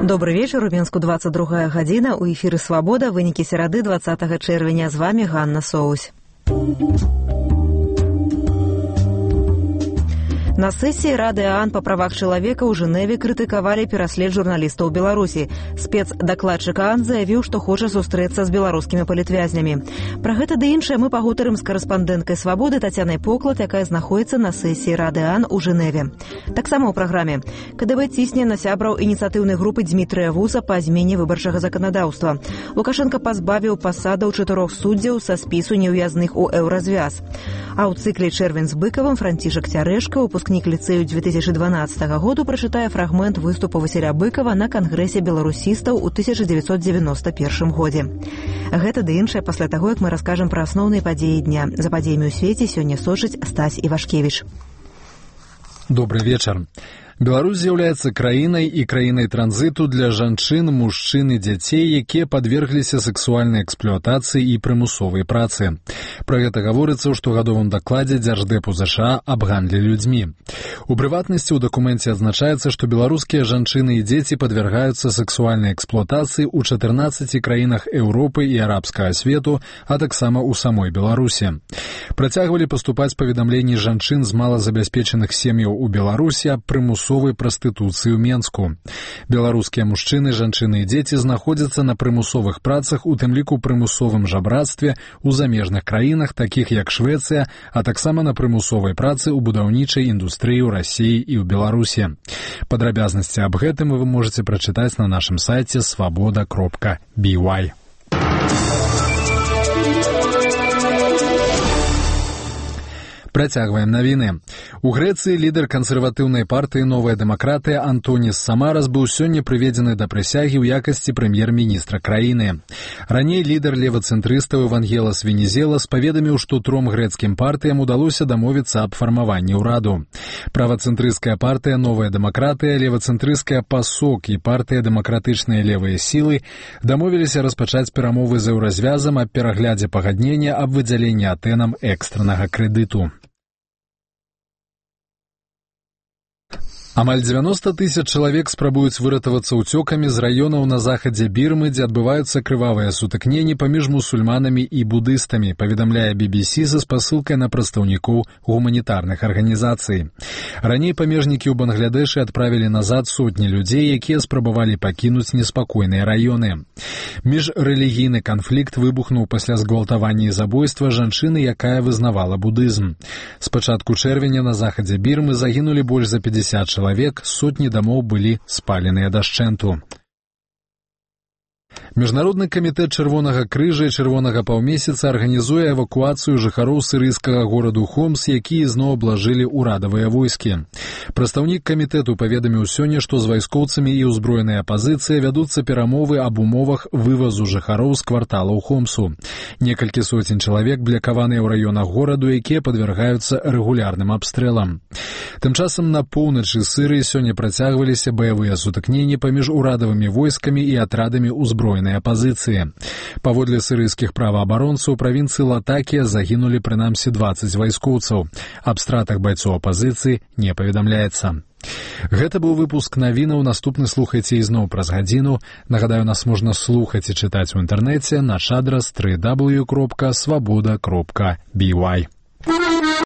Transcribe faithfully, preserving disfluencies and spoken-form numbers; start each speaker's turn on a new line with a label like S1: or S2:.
S1: Добрый вечер. У Мінску двадцать другая гадзіна. У эфіры «Свабода». Вынікі серады двадцатага чэрвеня. З вами Ганна Соусь. На сессии Рады ООН по правах человека ў Жэневе крытыкавалі пераслед журналістаў Беларусі. Спецдакладчык ООН заявіў, што хоча сустрэцца з беларускімі палітвязнямі. Пра гэта ды іншае мы пагутарым з карэспандэнткай «Свабоды» Тацянай Поклад, якая знаходзіцца на сессіі Рады ООН у Жэневе. Таксама ў праграме КДБ цісне на сябраў ініцыятыўнай групы Дзмітрыя Вуза па змене выбарчага заканадаўства. Лукашенко пазбавіў пасадаў чатырох суддзяў са спісу неўязных у еўразвяз. А ў цыкле «Чэрвень з быкавым» Францішак Цярэшка, выпускнік ліцэю две тысячи дванаццатага году, прачытае фрагмент выступу Васіля Быкава на кангрэсе беларусістаў у тысяча девятьсот девяносто первом годзе. Гэта ды іншае пасля таго, як мы раскажам пра асноўныя падзеі дня. За падзеямі ў свеце сёння сочыць Стась Івашкевіч.
S2: Добрый вечер. Беларусь з'яўляецца краінай і краінай транзіту для жанчын, мужчын і дзяцей, якія падвергліся сексуальнай эксплуатацыі і прымусовай працы. Пра гэта гаворыцца ў штогадовым дакладзе Дзярждэпу ЗША аб гандлі людзьмі. У прыватнасці ў дакуменце адзначаецца, што беларускія жанчыны і дзеці падвяргаюцца сексуальнай эксплуатацыі ў чатырнаццаці краінах Еўропы і арабскага свету, а таксама ў самой Беларусі. Працягвалі паступаць паведамленні жанчын з малазабяспечаных сем'яў у Беларусі аб прымусовай прастытуцыі ў Менску. Беларускія мужчыны, жанчыны і дзеці знаходзяцца на прымусовых працах, у тым ліку прымусовым жабрацтве ў замежных краінах, такіх як Швецыя, а таксама на прымусовай працы ў будаўнічай індустрыі ў Расіі і ў Беларусі. Падрабязнасці аб гэтым вы можаце прачытаць на нашым сайце свабода кропка би вай. Працягваем навіны. У Грэцыі лідар кансерватыўнай партыі «Новая дэмакратыя» Антонис Самарас быў сёння прыведзены да прысягі ў якасці прэм'ер-міністра краіны. Раней лідар левацэнтрыстаў Евангелас Венізелас паведаміў, што тром грэцкім партыям удалося дамовіцца аб фармаванні ўраду. Правацэнтрысцкая партыя «Новая дэмакратыя», левацэнтрысцкая «Пасок» і партыя «Дэмакратычныя левыя сілы» дамовіліся распачаць перамовы з еўразвязам аб пераглядзе пагаднення аб выдзяленні Атэнам экстраннага крэдыту. Амаль дзевяноста тысяч чалавек спрабуюць выратавацца ўцёкамі з раёнаў на захадзе Бірмы, дзе адбываюцца крывавыя сутыкненні паміж мусульманамі і будыстамі, паведамляе би би сі са спасылкай на прадстаўнікоў гуманітарных арганізацый. Раней памежнікі ў Бангладэшы адправілі назад сотні людзей, якія спрабавалі пакінуць неспакойныя раёны. Міжрэлігійны канфлікт выбухнуў пасля згвалтавання і забойства жанчыны, якая вызнавала будызм. З пачатку чэрвеня на захадзе Бірмы загінулі больш за пятьдесят чалавек. Чалавек, сотні дамоў былі спаленыя дашчэнту. Міжнародны камітэт Чырвонага крыжа і Чырвонага паўмесяца арганізуе эвакуацыю жыхароў сірыйскага гораду Хомс, якія зноў аблажылі ўрадавыя войскі. Прадстаўнік камітэту паведаміў сёння, што з вайскоўцамі і ўзброенай апазіцыяй вядуцца перамовы аб умовах вывазу жыхароў з кварталаў Хомсу. Некалькі сотень чалавек блякаваныя ў раёнах гораду, якія падвяргаюцца рэгулярным абстрэлам. Тым часам на поўначы Сірыі сёння працягваліся баявыя сутыкненні паміж урадавымі войскамі і атрадамі ўзброенай апазіцыі. Паводле сірыйскіх праваабаронцаў правінцыі Латакія загінулі прынамсі дваццаць вайскоўцаў. Аб стратах байцоў апазіцыі не паведамляецца. Гэта быў выпуск навінаў. Наступны слухайце ізноў праз гадзіну. Нагадаю, нас можна слухаць і чытаць у інтэрнэце. Наш адрас дабл ю дабл ю дабл ю кропка свабода кропка би вай.